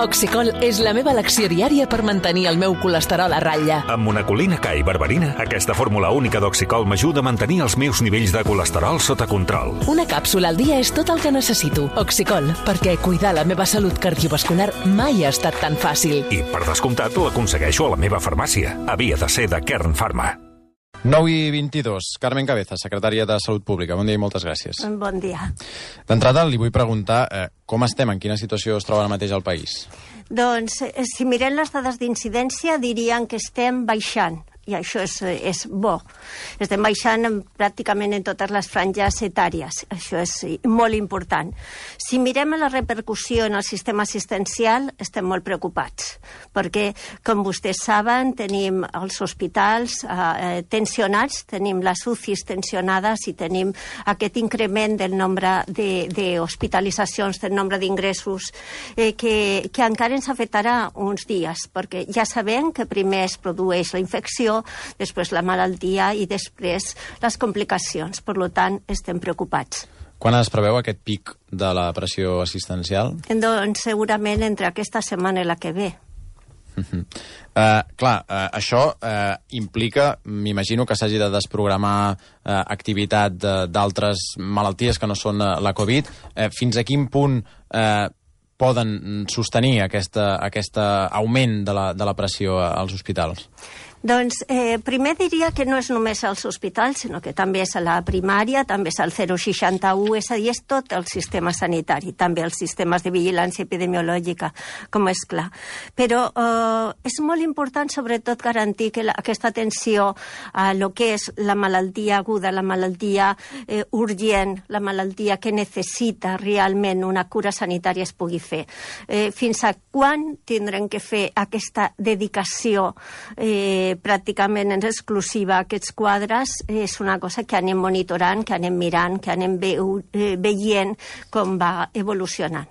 Oxicol és la meva elecció diària per mantenir el meu colesterol a ratlla. Amb monacolina K i berberina, aquesta fórmula única d'Oxicol m'ajuda a mantenir els meus nivells de colesterol sota control. Una càpsula al dia és tot el que necessito. Oxicol, perquè cuidar la meva salut cardiovascular mai ha estat tan fàcil. I, per descomptat, l'aconsegueixo a la meva farmàcia. Havia de ser de Kern Pharma. 9:22. Carmen Cabeza, secretària de Salut Pública. Bon dia i moltes gràcies. Bon dia. D'entrada, li vull preguntar com estem, en quina situació es troba ara mateix al país? Doncs, si mirem les dades d'incidència, dirien que estem baixant. I això és bo. Estem baixant pràcticament en totes les franges etàries. Això és molt important. Si mirem la repercussió en el sistema assistencial, estem molt preocupats, perquè, com vostès saben, tenim els hospitals tensionats, tenim les UCIs tensionades i tenim aquest increment del nombre d'hospitalitzacions, del nombre d'ingressos, que encara ens afectarà uns dies, perquè ja sabem que primer es produeix la infecció, després la malaltia i després les complicacions. Per tant, estem preocupats. Quan es preveu aquest pic de la pressió assistencial? Doncs segurament entre aquesta setmana i la que ve. Això implica, m'imagino, que s'hagi de desprogramar activitat d'altres malalties que no són la Covid. Fins a quin punt poden sostenir aquest augment de la pressió als hospitals? Doncs primer diria que no és només als hospitals, sinó que també és a la primària, també és al 061, és a dir, és tot el sistema sanitari, també els sistemes de vigilància epidemiològica, com és clar. Però és molt important, sobretot, garantir que aquesta atenció a lo que és la malaltia aguda, la malaltia urgent, la malaltia que necessita realment una cura sanitària es pugui fer. Fins a quan tindrem que fer aquesta dedicació pràcticament en exclusiva a aquests quadres és una cosa que anem monitorant, que anem mirant, que anem veient com va evolucionant.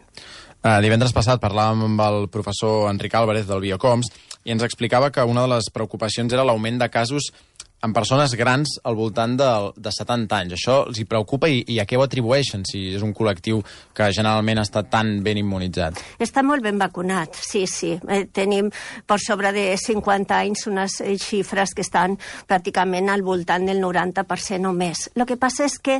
Divendres passat parlàvem amb el professor Enric Álvarez del Biocoms i ens explicava que una de les preocupacions era l'augment de casos en persones grans al voltant de 70 anys. Això els hi preocupa i a què ho atribueixen, si és un col·lectiu que generalment està tan ben immunitzat? Està molt ben vacunat, sí. Tenim per sobre de 50 anys unes xifres que estan pràcticament al voltant del 90% o més. El que passa és que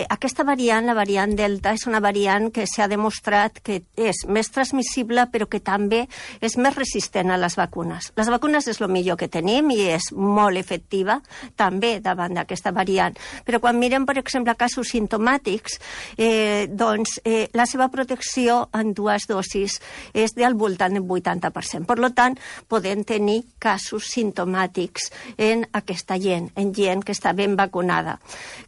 aquesta variant, la variant Delta, és una variant que s'ha demostrat que és més transmissible però que també és més resistent a les vacunes. Les vacunes és el millor que tenim i és molt efectiu també davant d'aquesta variant. Però quan mirem, per exemple, casos simptomàtics, la seva protecció en dues dosis és del voltant del 80%. Per tant, podem tenir casos simptomàtics en aquesta gent, en gent que està ben vacunada.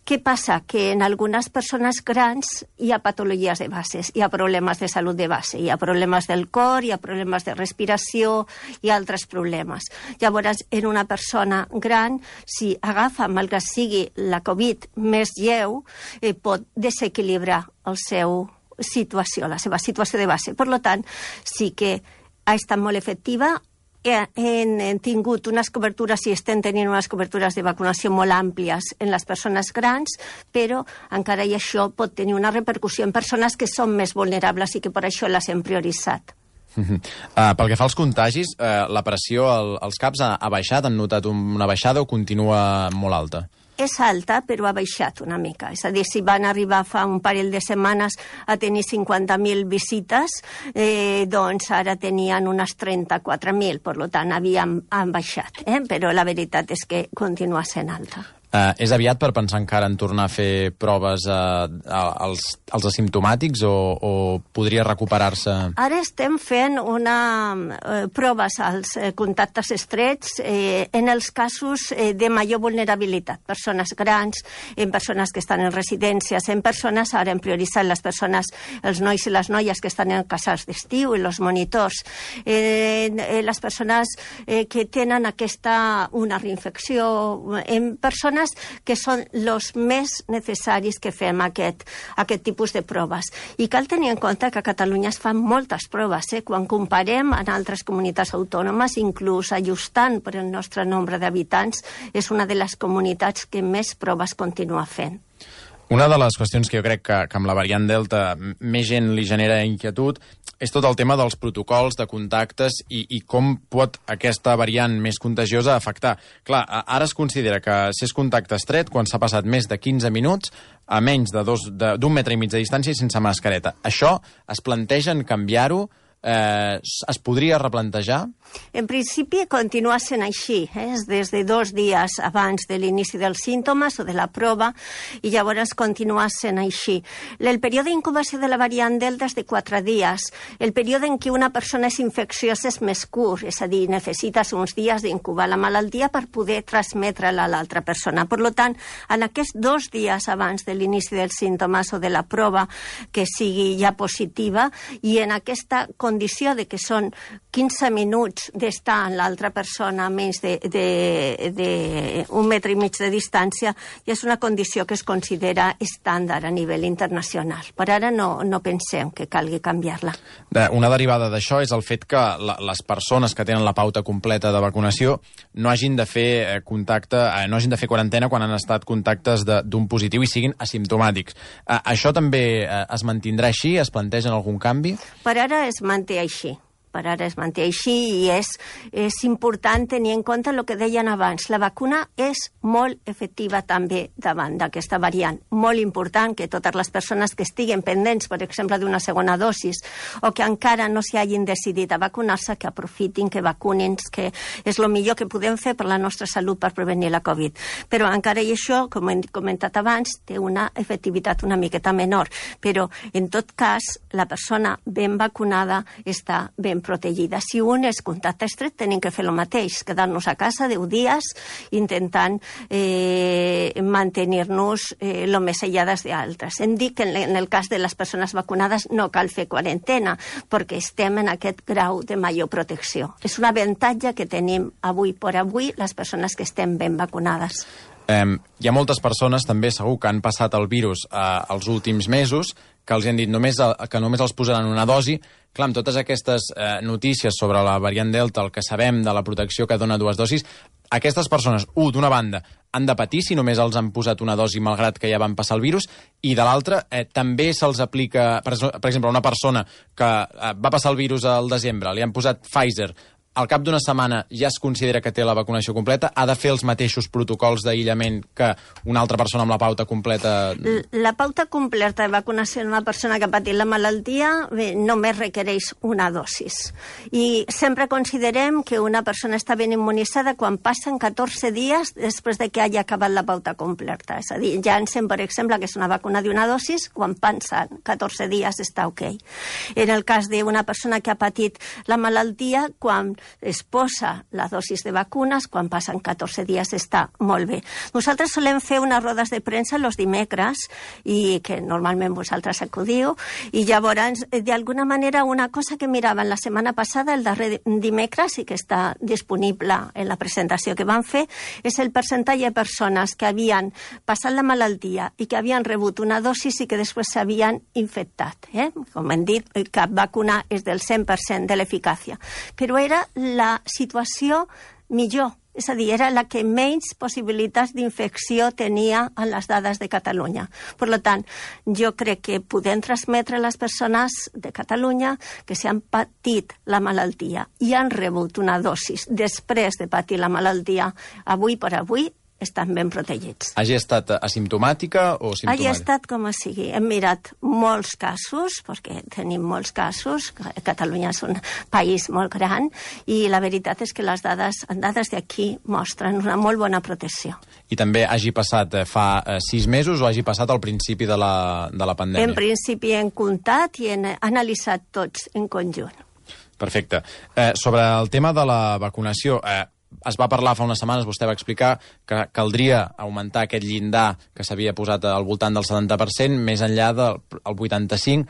Què passa? Que en algunes persones grans hi ha patologies de bases, hi ha problemes de salut de base, hi ha problemes del cor, hi ha problemes de respiració i altres problemes. Llavors, en una persona gran, si agafa, malgrat sigui la Covid més lleu, pot desequilibrar la seva situació de base. Per tant, sí que ha estat molt efectiva. Hem tingut unes cobertures i estem tenint unes cobertures de vacunació molt àmplies en les persones grans, però encara i això pot tenir una repercussió en persones que són més vulnerables i que per això les hem prioritzat. Pel que fa als contagis, la pressió als CAPs ha baixat? Han notat una baixada o continua molt alta? És alta, però ha baixat una mica. És a dir, si van arribar fa un parell de setmanes a tenir 50.000 visites, doncs ara tenien unes 34.000, per tant, han baixat. Però la veritat és que continua sent alta. És aviat per pensar encara en tornar a fer proves als asimptomàtics o podria recuperar-se? Ara estem fent proves als contactes estrets en els casos de major vulnerabilitat. Persones grans, en persones que estan en residències, en persones, ara hem prioritzat les persones, els nois i les noies que estan en casals d'estiu, i els monitors, les persones que tenen una reinfecció, en persones que són els més necessaris que fem aquest tipus de proves. I cal tenir en compte que a Catalunya es fan moltes proves. Quan comparem amb altres comunitats autònomes, inclús ajustant per el nostre nombre d'habitants, és una de les comunitats que més proves continua fent. Una de les qüestions que jo crec que amb la variant Delta més gent li genera inquietud és tot el tema dels protocols de contactes i com pot aquesta variant més contagiosa afectar. Clar, ara es considera que si és contacte estret, quan s'ha passat més de 15 minuts, a menys d'un metre i mig de distància i sense mascareta. Això es plantegen canviar-ho? Es podria replantejar? En principi continua sent així, des de 2 dies abans de l'inici dels símptomes o de la prova, i llavors continua sent així. El període d'incubació de la variant Delta és de 4 dies. El període en què una persona és infecciosa és més curt, és a dir, necessites uns dies d'incubar la malaltia per poder transmetre-la a l'altra persona. Per tant, en aquests 2 dies abans de l'inici dels símptomes o de la prova que sigui ja positiva, i en aquesta condició de que són 15 minuts d'estar amb l'altra persona a menys d'un metre i mig de distància, i és una condició que es considera estàndard a nivell internacional. Per ara no pensem que calgui canviar-la. Una derivada d'això és el fet que les persones que tenen la pauta completa de vacunació no hagin de fer no hagin de fer quarantena quan han estat contactes d'un positiu i siguin asimptomàtics. Això també es mantindrà així? Es plantegen algun canvi? Per ara es manté així. Per ara es manté així, i és important tenir en compte el que deien abans. La vacuna és molt efectiva també davant d'aquesta variant. Molt important que totes les persones que estiguen pendents, per exemple, d'una segona dosis, o que encara no s'hi hagin decidit a vacunar-se, que aprofitin, que vacunin, que és el millor que podem fer per la nostra salut per prevenir la Covid. Però encara i això, com hem comentat abans, té una efectivitat una miqueta menor. Però, en tot cas, la persona ben vacunada està ben protegida. Si un és contacte estret, tenim que fer el mateix, quedar-nos a casa 10 dies intentant mantenir-nos el més aïllades d'altres. Hem dit que en el cas de les persones vacunades no cal fer quarantena, perquè estem en aquest grau de major protecció. És un avantatge que tenim avui per avui les persones que estem ben vacunades. Hi ha moltes persones, també segur, que han passat el virus els últims mesos, que els han dit que només els posaran una dosi. Clar, amb totes aquestes notícies sobre la variant Delta, el que sabem de la protecció que dona 2 dosis, aquestes persones, d'una banda, han de patir si només els han posat una dosi malgrat que ja van passar el virus, i de l'altra, també se'ls aplica, per exemple, a una persona que va passar el virus al desembre, li han posat Pfizer, al cap d'una setmana ja es considera que té la vacunació completa, ha de fer els mateixos protocols d'aïllament que una altra persona amb la pauta completa? La pauta completa de vacunació en una persona que ha patit la malaltia només requereix una dosis. I sempre considerem que una persona està ben immunitzada quan passen 14 dies després de que hagi acabat la pauta completa. És a dir, Janssen, per exemple, que és una vacuna d'una dosis, quan passen 14 dies està ok. En el cas d'una persona que ha patit la malaltia, quan es posa la dosis de vacunes, quan passen 14 dies està molt bé. Nosaltres solem fer unes rodes de premsa els dimecres, i que normalment vosaltres acudiu, i llavors, d'alguna manera, una cosa que miraven la setmana passada, el darrer dimecres, i que està disponible en la presentació que van fer, és el percentatge de persones que havien passat la malaltia i que havien rebut una dosis i que després s'havien infectat. Com hem dit, cap vacuna és del 100% de l'eficàcia. Però era la situació millor, és a dir, era la que menys possibilitats d'infecció tenia en les dades de Catalunya. Per tant, jo crec que podem transmetre a les persones de Catalunya que si han patit la malaltia i han rebut una dosis després de patir la malaltia, avui per avui, estan ben protegits. Hagi estat asimptomàtica o simptomàtica? Hagi estat com sigui. Hem mirat molts casos, perquè tenim molts casos. Catalunya és un país molt gran, i la veritat és que les dades d'aquí mostren una molt bona protecció. I també hagi passat fa 6 mesos o hagi passat al principi de la pandèmia? En principi hem comptat i hem analitzat tots en conjunt. Perfecte. Sobre el tema de la vacunació, es va parlar fa unes setmanes, vostè va explicar que caldria augmentar aquest llindar que s'havia posat al voltant del 70%, més enllà del 85,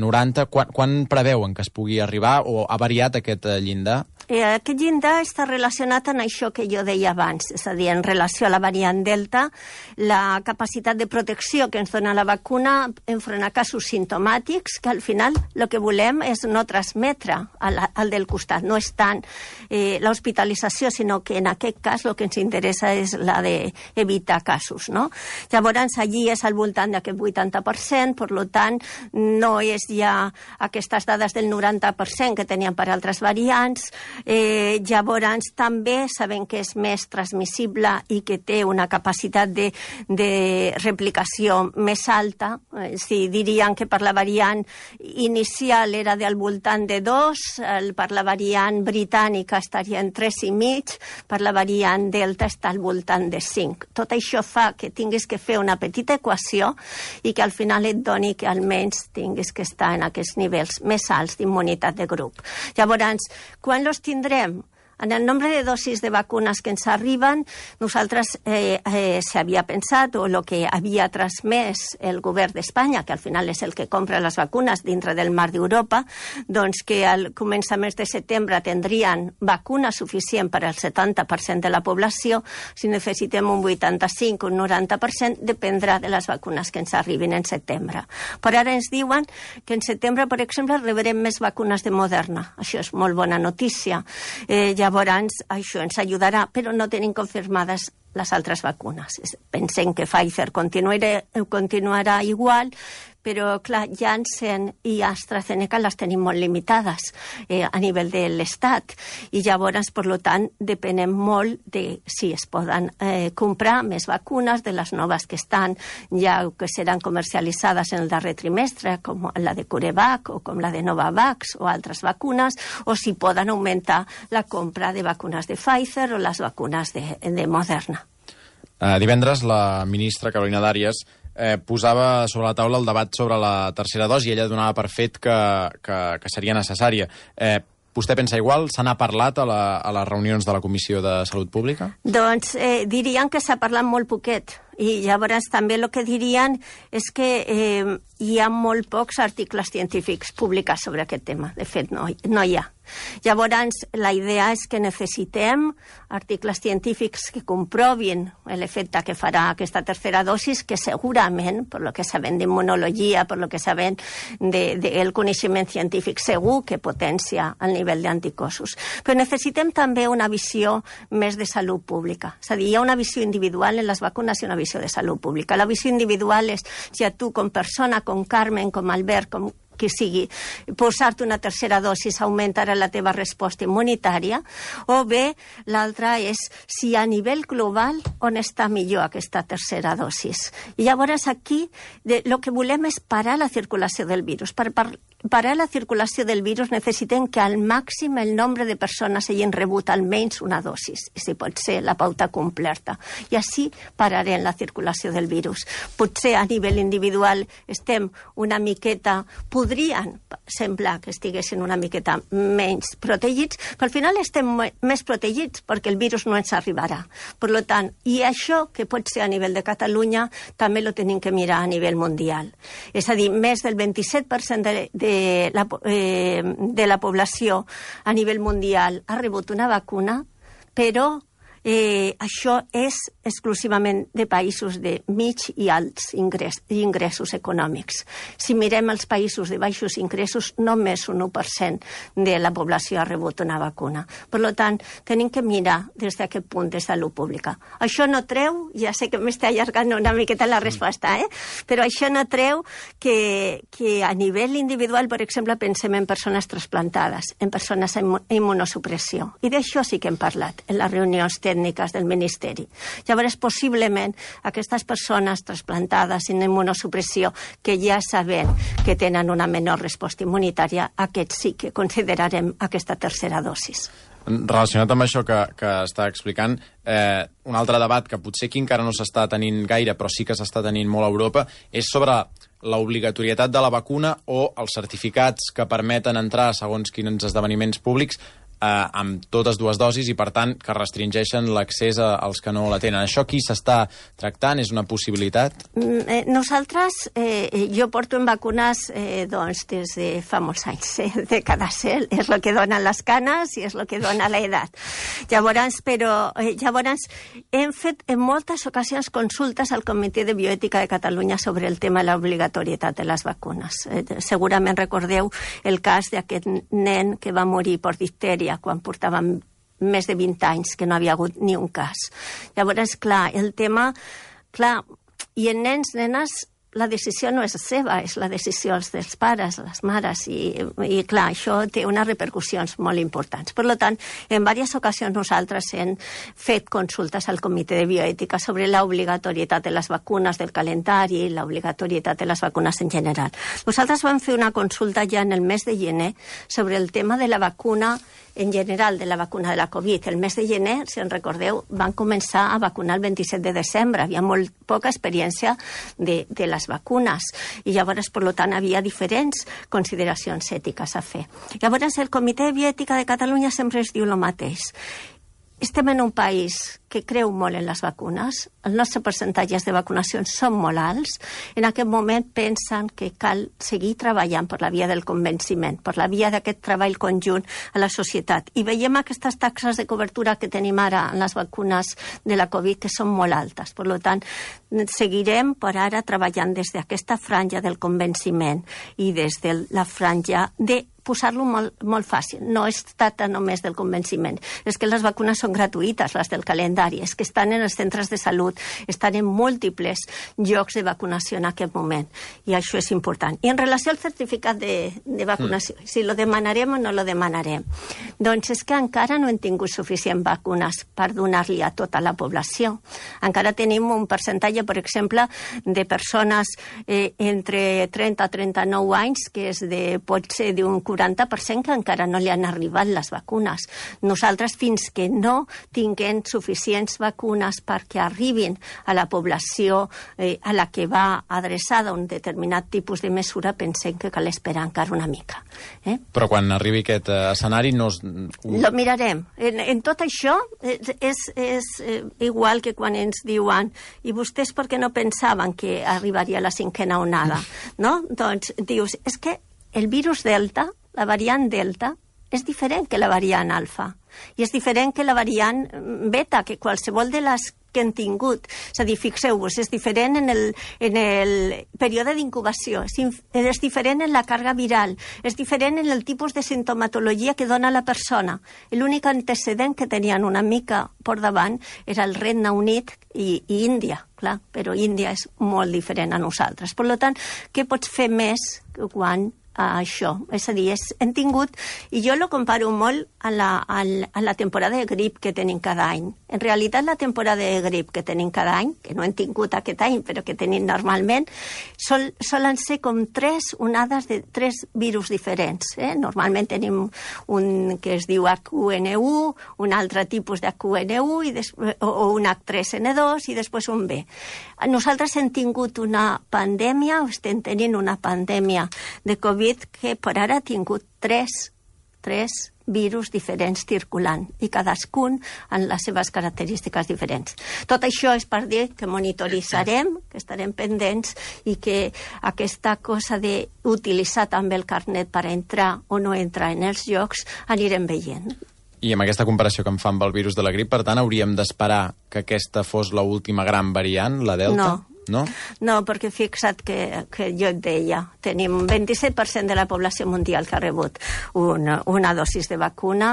90. Quan preveuen que es pugui arribar, o ha variat aquest llindar? aquest llindar està relacionat amb això que jo deia abans, és a dir, en relació a la variant Delta, la capacitat de protecció que ens dona la vacuna enfront a casos simptomàtics, que al final el que volem és no transmetre al del costat. No és tant l'hospitalització, sinó que en aquest cas el que ens interessa és la d'evitar casos, no? Llavors, allí és al voltant d'aquest 80%, per tant, no és ja aquestes dades del 90% que tenien per altres variants. Llavors també sabem que és més transmissible i que té una capacitat de replicació més alta. Si dirien que per la variant inicial era del voltant de 2, per la variant britànica estaria en 3,5, per la variant Delta està al voltant de 5. Tot això fa que tinguis que fer una petita equació i que al final et doni que almenys tinguis que estar en aquests nivells més alts d'immunitat de grup. Llavors, quan los tindrem? En el nombre de dosis de vacunes que ens arriben, nosaltres s'havia pensat, o el que havia transmès el govern d'Espanya, que al final és el que compra les vacunes dintre del marc d'Europa, doncs que al començament de setembre tindrien vacuna suficient per al 70% de la població. Si necessitem un 85 o un 90%, dependrà de les vacunes que ens arribin en setembre. Per ara ens diuen que en setembre, per exemple, rebrem més vacunes de Moderna. Això és molt bona notícia. Llavors, això ens ajudarà, però no tenim confirmades les altres vacunes. Pensem que Pfizer continuarà igual, però, clar, Janssen i AstraZeneca les tenim molt limitades a nivell de l'Estat. I llavors, per tant, depenem molt de si es poden comprar més vacunes, de les noves que estan ja que seran comercialitzades en el darrer trimestre, com la de CureVac o com la de Novavax o altres vacunes, o si poden augmentar la compra de vacunes de Pfizer o les vacunes de Moderna. Divendres, la ministra Carolina Darias posava sobre la taula el debat sobre la tercera dosi i ella donava per fet que seria necessària. Vostè pensa igual? Se n'ha parlat a les reunions de la Comissió de Salut Pública? Doncs dirien que s'ha parlat molt poquet. I llavors també el que dirien és que hi ha molt pocs articles científics publicats sobre aquest tema. De fet, no hi ha. Llavors, la idea és que necessitem articles científics que comprovin l'efecte que farà aquesta tercera dosis, que segurament, per lo que sabem d'immunologia, per lo que sabem del coneixement científic, segur que potencia el nivell d'anticossos. Però necessitem també una visió més de salut pública. És a dir, hi ha una visió individual en les vacunes i una visió de salut pública. La visió individual és si a tu, com persona, com Carmen, com Albert, com que sigui, posar-te una tercera dosis augmentarà la teva resposta immunitària, o bé l'altra és si a nivell global on està millor aquesta tercera dosis. I llavors aquí el que volem és parar la circulació del virus. Per parar la circulació del virus necessitem que al màxim el nombre de persones hagin rebut almenys una dosis, i si pot ser la pauta completa. I així pararem la circulació del virus. Potser a nivell individual estem una miqueta, podrien semblar que estiguessin una miqueta menys protegits, però al final estem més protegits perquè el virus no ens arribarà. Per tant, i això que pot ser a nivell de Catalunya també lo tenim que mirar a nivell mundial. És a dir, més del 27% de la població a nivell mundial ha rebut una vacuna, però això és exclusivament de països de mig i alts ingressos econòmics. Si mirem els països de baixos ingressos, només un 1% de la població ha rebut una vacuna. Per tant, tenim que mirar des d'aquest punt de salut pública. Això no treu, ja sé que m'està allargant una miqueta la resposta, però això no treu que a nivell individual, per exemple, pensem en persones trasplantades, en persones amb immunosupressió. I d'això sí que hem parlat en les reunions tècniques del Ministeri. Llavors, possiblement, aquestes persones trasplantades en immunosupressió que ja sabem que tenen una menor resposta immunitària, aquests sí que considerarem aquesta tercera dosis. Relacionat amb això que està explicant, un altre debat que potser aquí encara no s'està tenint gaire, però sí que s'està tenint molt a Europa, és sobre l'obligatorietat de la vacuna o els certificats que permeten entrar segons quins esdeveniments públics amb totes dues dosis i, per tant, que restringeixen l'accés als que no la tenen. Això aquí s'està tractant? És una possibilitat? Nosaltres, jo porto en vacunes doncs, des de fa molts anys, dècades. És el que donen les canes i és el que dona l'edat. Llavors, hem fet en moltes ocasions consultes al Comitè de Bioètica de Catalunya sobre el tema de l'obligatorietat de les vacunes. Segurament recordeu el cas d'aquest nen que va morir per diftèria quan portàvem més de 20 anys que no havia hagut ni un cas. Llavors, clar, el tema... Clar, i en nens, nenes, la decisió no és seva, és la decisió dels pares, les mares, i clar, això té unes repercussions molt importants. Per tant, en diverses ocasions nosaltres hem fet consultes al Comitè de Bioètica sobre l'obligatorietat de les vacunes, del calendari, i l'obligatorietat de les vacunes en general. Nosaltres vam fer una consulta ja en el mes de gener sobre el tema de la vacuna en general, de la vacuna de la Covid. El mes de gener, si en recordeu, van començar a vacunar el 27 de desembre. Havia molt poca experiència de les vacunes i llavors, per tant, havia diferents consideracions ètiques a fer. Llavors, el Comitè de Bioètica de Catalunya sempre es diu el mateix. Estem en un país que creu molt en les vacunes, els nostres percentatges de vacunacions són molt alts, en aquest moment pensen que cal seguir treballant per la via del convenciment, per la via d'aquest treball conjunt a la societat. I veiem aquestes taxes de cobertura que tenim ara en les vacunes de la Covid, que són molt altes. Per tant, seguirem per ara treballant des d'aquesta franja del convenciment i des de la franja de posar-lo molt fàcil. No es tracta només del convenciment. És que les vacunes són gratuïtes, les del calendari. És que estan en els centres de salut, estan en múltiples llocs de vacunació en aquest moment. I això és important. I en relació al certificat de vacunació, si lo demanarem o no lo demanarem, doncs és que encara no hem tingut suficient vacunes per donar-li a tota la població. Encara tenim un percentatge, per exemple, de persones entre 30 a 39 anys, que és pot ser d'un 40% que encara no li han arribat les vacunes. Nosaltres, fins que no tinguem suficients vacunes perquè arribin a la població a la que va adreçada un determinat tipus de mesura, pensem que cal esperar encara una mica. Però quan arribi aquest escenari no... Lo mirarem. En tot això és igual que quan ens diuen i vostès per què no pensaven que arribaria la cinquena onada? No? Doncs dius, és que el virus Delta, la variant Delta, és diferent que la variant Alfa. I és diferent que la variant Beta, que qualsevol de les que han tingut. És a dir, fixeu-vos, és diferent en el període d'incubació, és diferent en la càrrega viral, és diferent en el tipus de sintomatologia que dona la persona. L'únic antecedent que tenien una mica per davant era el Regne Unit i Índia, clar, però Índia és molt diferent a nosaltres. Per tant, què pots fer més quan això? És a dir, hem tingut, i jo lo comparo molt a la temporada de grip que tenim cada any. En realitat, la temporada de grip que tenim cada any, que no hem tingut aquest any, però que tenim normalment, solen ser com 3 onades de 3 virus diferents. Normalment tenim un que es diu HN1, un altre tipus de HN1 o un H3N2 i després un B. Nosaltres hem tingut una pandèmia, o estem tenint una pandèmia de Covid que per ara ha tingut 3 virus diferents circulant i cadascun amb les seves característiques diferents. Tot això és per dir que monitoritzarem, que estarem pendents i que aquesta cosa d'utilitzar també el carnet per entrar o no entrar en els llocs anirem veient. I amb aquesta comparació que em fa amb el virus de la grip, per tant, hauríem d'esperar que aquesta fos l'última gran variant, la Delta? No, perquè fixa't que jo et deia, tenim un 27% de la població mundial que ha rebut una dosis de vacuna,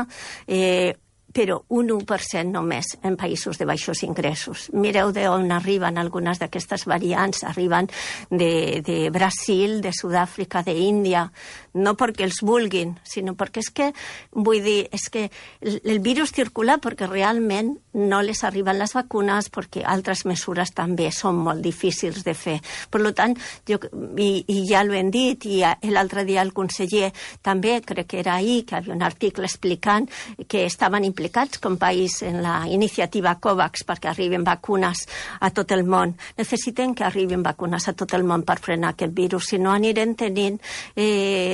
però un 1% només en països de baixos ingressos. Mireu d'on arriben algunes d'aquestes variants. Arriben de Brasil, de Sud-àfrica, d'Índia, no perquè els vulguin, sinó perquè és que el virus circula perquè realment no les arriben les vacunes, perquè altres mesures també són molt difícils de fer. Per tant, i ja l'ho hem dit, i l'altre dia el conseller també, crec que era ahir, que havia un article explicant que estaven implementant implicats com país en la iniciativa COVAX perquè arribin vacunes a tot el món. Necessitem que arribin vacunes a tot el món per frenar aquest virus, si no anirem tenint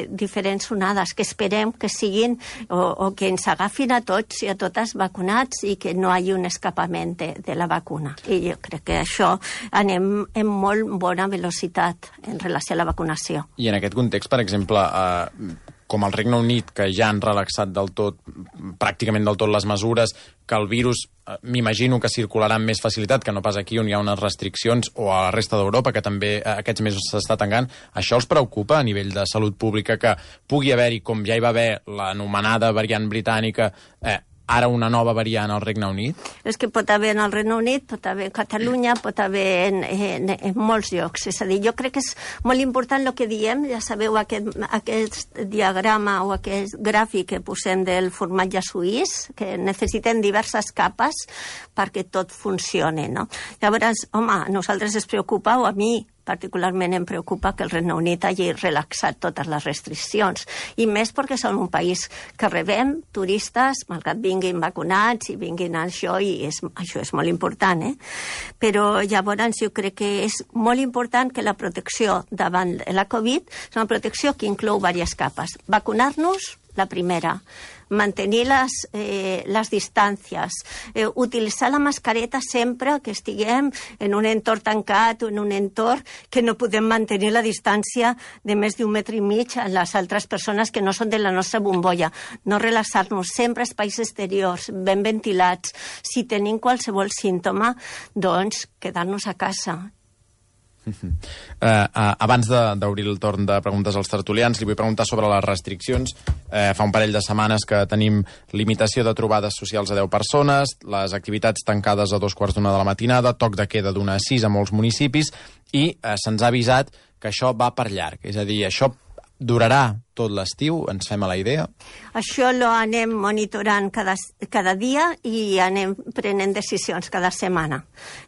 diferents onades que esperem que siguin o que ens agafin a tots i a totes vacunats i que no hi hagi un escapament de la vacuna. I jo crec que això anem en molt bona velocitat en relació a la vacunació. I en aquest context, per exemple, com al Regne Unit, que ja han relaxat del tot, pràcticament del tot les mesures, que el virus m'imagino que circularà amb més facilitat que no pas aquí on hi ha unes restriccions, o a la resta d'Europa, que també aquests mesos s'està tancant, això els preocupa a nivell de salut pública que pugui haver-hi, com ja hi va haver l'anomenada variant britànica, ara una nova variant al Regne Unit? És que pot haver en el Regne Unit, pot haver a Catalunya, pot haver en molts llocs. És a dir, jo crec que és molt important el que diem, ja sabeu, aquest diagrama o aquest gràfic que posem del formatge suís, que necessitem diverses capes perquè tot funcioni, no? Llavors, home, a nosaltres es preocupa, o a mi particularment em preocupa que el Regne Unit hagi relaxat totes les restriccions, i més perquè som un país que rebem turistes, malgrat vinguin vacunats i vinguin a això, i això és molt important, Però llavors jo crec que és molt important que la protecció davant de la Covid és una protecció que inclou diverses capes. Vacunar-nos, la primera, mantenir les distàncies, utilitzar la mascareta sempre que estiguem en un entorn tancat o en un entorn que no podem mantenir la distància de més d'1,5 metres a les altres persones que no són de la nostra bombolla. No relaxar-nos, sempre espais exteriors, ben ventilats. Si tenim qualsevol símptoma, doncs quedar-nos a casa. Abans d'obrir el torn de preguntes als tertulians, li vull preguntar sobre les restriccions. Fa un parell de setmanes que tenim limitació de trobades socials a 10 persones, les activitats tancades a 2:45 de la matinada, toc de queda d'1 a 6 a molts municipis, i se'ns ha avisat que això va per llarg. És a dir, això durarà tot l'estiu, ens fem a la idea? Això lo anem monitorant cada dia i anem prenent decisions cada setmana.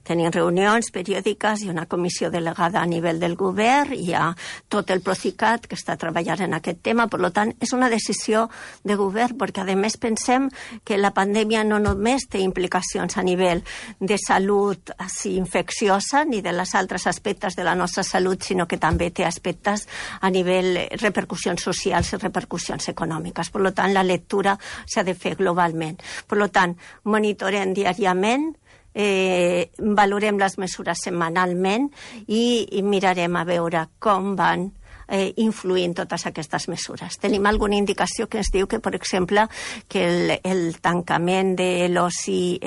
Tenim reunions periòdiques i una comissió delegada a nivell del govern, i hi ha tot el Procicat que està treballant en aquest tema. Per tant, és una decisió de govern, perquè a més pensem que la pandèmia no només té implicacions a nivell de salut infecciosa ni de les altres aspectes de la nostra salut, sinó que també té aspectes a nivell repercussions socials i repercussions econòmiques. Per tant, la lectura s'ha de fer globalment. Per tant, monitorem diàriament, valorem les mesures setmanalment i mirarem a veure com van influint totes aquestes mesures. Tenim alguna indicació que ens diu que, per exemple, que el tancament de l'oci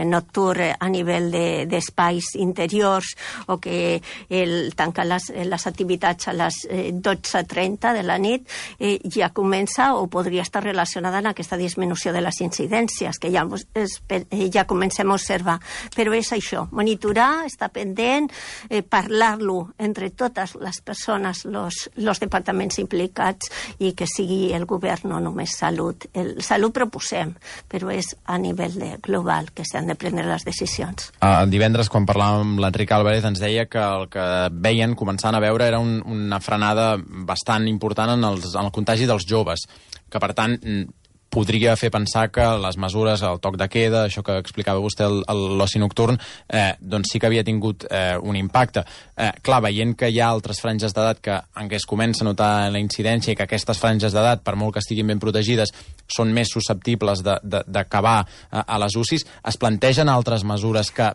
nocturn a nivell d'espais interiors, o que el tancar les activitats a les 12:30 de la nit ja comença o podria estar relacionada amb aquesta disminució de les incidències que ja comencem a observar. Però és això, monitorar, estar pendent, parlar-lo entre totes les persones, los departaments implicats, i que sigui el govern, no només salut. Salut proposem, però és a nivell global que s'han de prendre les decisions. El divendres, quan parlàvem amb l'Enric Álvarez, ens deia que el que veien, començant a veure, era una frenada bastant important en el contagi dels joves, que per tant podria fer pensar que les mesures, el toc de queda, això que explicava vostè, l'oci nocturn, doncs sí que havia tingut un impacte. Clar, veient que hi ha altres franges d'edat en què es comença a notar la incidència, i que aquestes franges d'edat, per molt que estiguin ben protegides, són més susceptibles d'acabar a les UCIs, es plantegen altres mesures que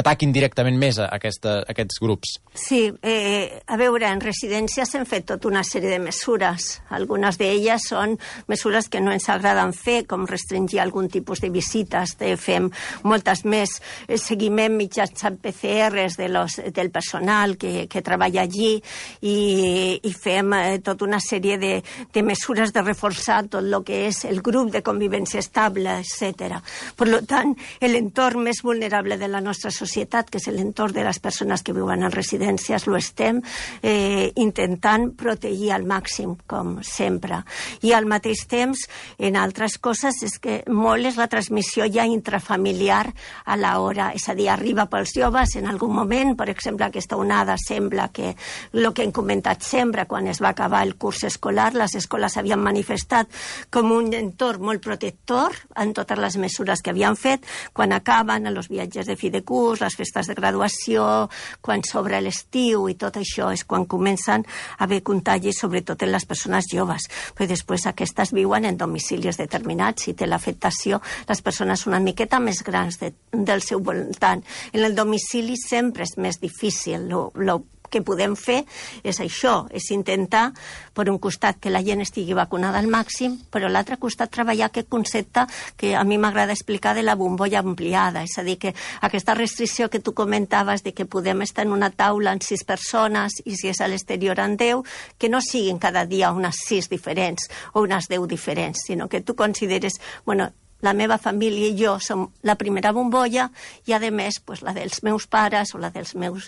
ataquin directament més a aquests grups? Sí, a veure, en residències hem fet tota una sèrie de mesures. Algunes d'elles són mesures que no ens agraden fer, com restringir algun tipus de visites, fem moltes més, seguiment mitjançant PCRs del personal que treballa allí, i fem tota una sèrie de mesures de reforçar tot el que és el grup de convivència estable, etc. Per tant, l'entorn més vulnerable de la nostra societat, que és l'entorn de les persones que viuen en residències, lo estem intentant protegir al màxim, com sempre. I al mateix temps en altres coses és que molt és la transmissió ja intrafamiliar a l'hora, és a dir, arriba pels joves en algun moment, per exemple, aquesta onada sembla que el que hem comentat sempre, quan es va acabar el curs escolar, les escoles havien manifestat com un entorn molt protector en totes les mesures que havien fet, quan acaben els viatges de fi de curs, les festes de graduació, quan s'obre l'estiu i tot això és quan comencen a haver contagis, sobretot en les persones joves. Però després aquestes viuen en domicilis determinats i té l'afectació les persones una miqueta més grans del seu voltant. En el domicili sempre és més difícil. El que podem fer és això, és intentar, per un costat, que la gent estigui vacunada al màxim, però a l'altre costat treballar aquest concepte que a mi m'agrada explicar de la bombolla ampliada, és a dir, que aquesta restricció que tu comentaves de que podem estar en una taula amb 6 persones i si és a l'exterior amb 10, que no siguin cada dia unes 6 diferents o unes 10 diferents, sinó que tu consideres, bueno, la meva família i jo som la primera bombolla i, a més, pues, la dels meus pares o la dels meus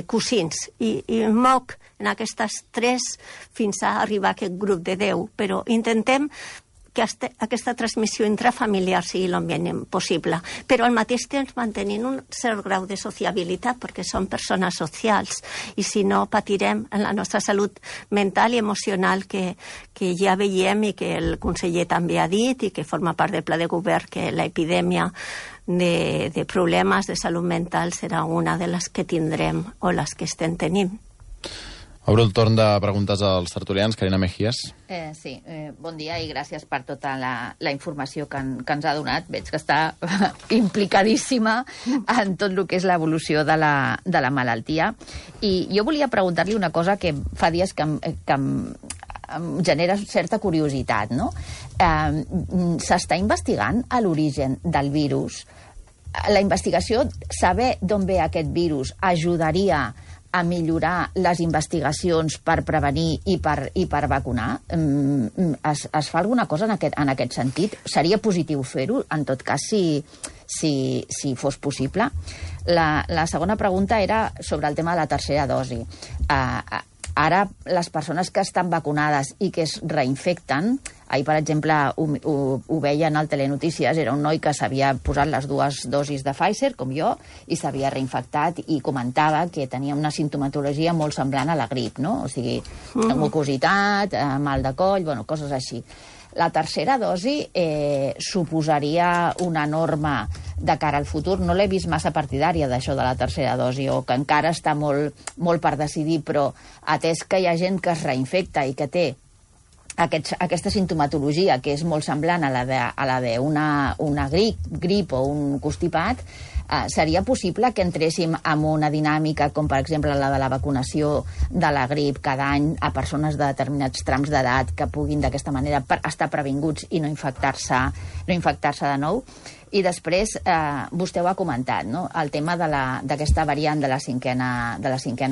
cosins. I moc en aquestes 3 fins a arribar a aquest grup de 10. Però intentem que aquesta transmissió intrafamiliar sigui el mínim possible, però al mateix temps mantenint un cert grau de sociabilitat, perquè som persones socials, i si no patirem en la nostra salut mental i emocional que ja veiem i que el conseller també ha dit i que forma part del pla de govern, que l'epidèmia de problemes de salut mental serà una de les que tindrem o les que estem tenint. Obro el torn de preguntes als tertulians. Carina Mejías. Sí, bon dia i gràcies per tota la informació que ens ha donat. Veig que està implicadíssima en tot el que és l'evolució de la malaltia. I jo volia preguntar-li una cosa que fa dies que em genera certa curiositat, no? S'està investigant a l'origen del virus. La investigació, saber d'on ve aquest virus, ajudaria a millorar les investigacions per prevenir i per vacunar? Es fa alguna cosa en aquest sentit? Seria positiu fer-ho, en tot cas, si fos possible? La segona pregunta era sobre el tema de la tercera dosi. Ara, les persones que estan vacunades i que es reinfecten, ahir, per exemple, ho veien al Telenotícies, era un noi que s'havia posat les 2 dosis de Pfizer, com jo, i s'havia reinfectat i comentava que tenia una simptomatologia molt semblant a la grip, no? O sigui, mucositat, mal de coll, bueno, coses així. La tercera dosi suposaria una norma de cara al futur. No l'he vist massa partidària d'això de la tercera dosi, o que encara està molt per decidir, però atès que hi ha gent que es reinfecta i que té aquesta simptomatologia que és molt semblant a la d'una grip o un constipat, seria possible que entréssim en una dinàmica com, per exemple, la de la vacunació de la grip cada any a persones de determinats trams d'edat que puguin d'aquesta manera estar previnguts i no infectar-se de nou? I després, vostè ho ha comentat, no? El tema d'aquesta variant de la cinquena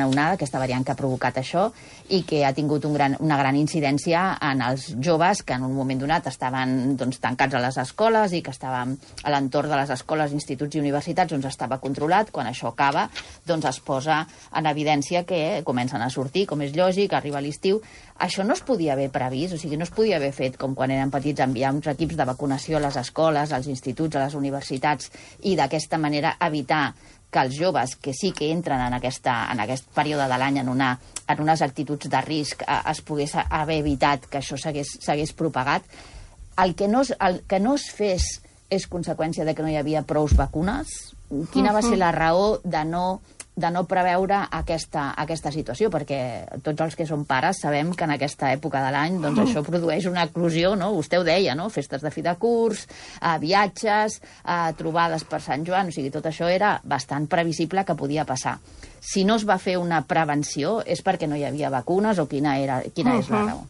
onada, aquesta variant que ha provocat això i que ha tingut una gran incidència en els joves que en un moment donat estaven tancats a les escoles i que estaven a l'entorn de les escoles, instituts i universitats on estava controlat. Quan això acaba, es posa en evidència que comencen a sortir, com és lògic, arriba l'estiu. Això no es podia haver previst, o sigui, no es podia haver fet com quan eren petits, enviar uns equips de vacunació a les escoles, als instituts, a les universitats, i d'aquesta manera evitar que els joves que sí que entren en aquest període de l'any en unes actituds de risc es pogués haver evitat que això s'hagués propagat. El que no es fes és conseqüència de que no hi havia prou vacunes? Quina va ser la raó de no preveure aquesta situació? Perquè tots els que som pares sabem que en aquesta època de l'any això produeix una eclosió, no? Vostè ho deia, no? Festes de fi de curs, viatges, trobades per Sant Joan, o sigui, tot això era bastant previsible que podia passar. Si no es va fer una prevenció, és perquè no hi havia vacunes o quina és la raó?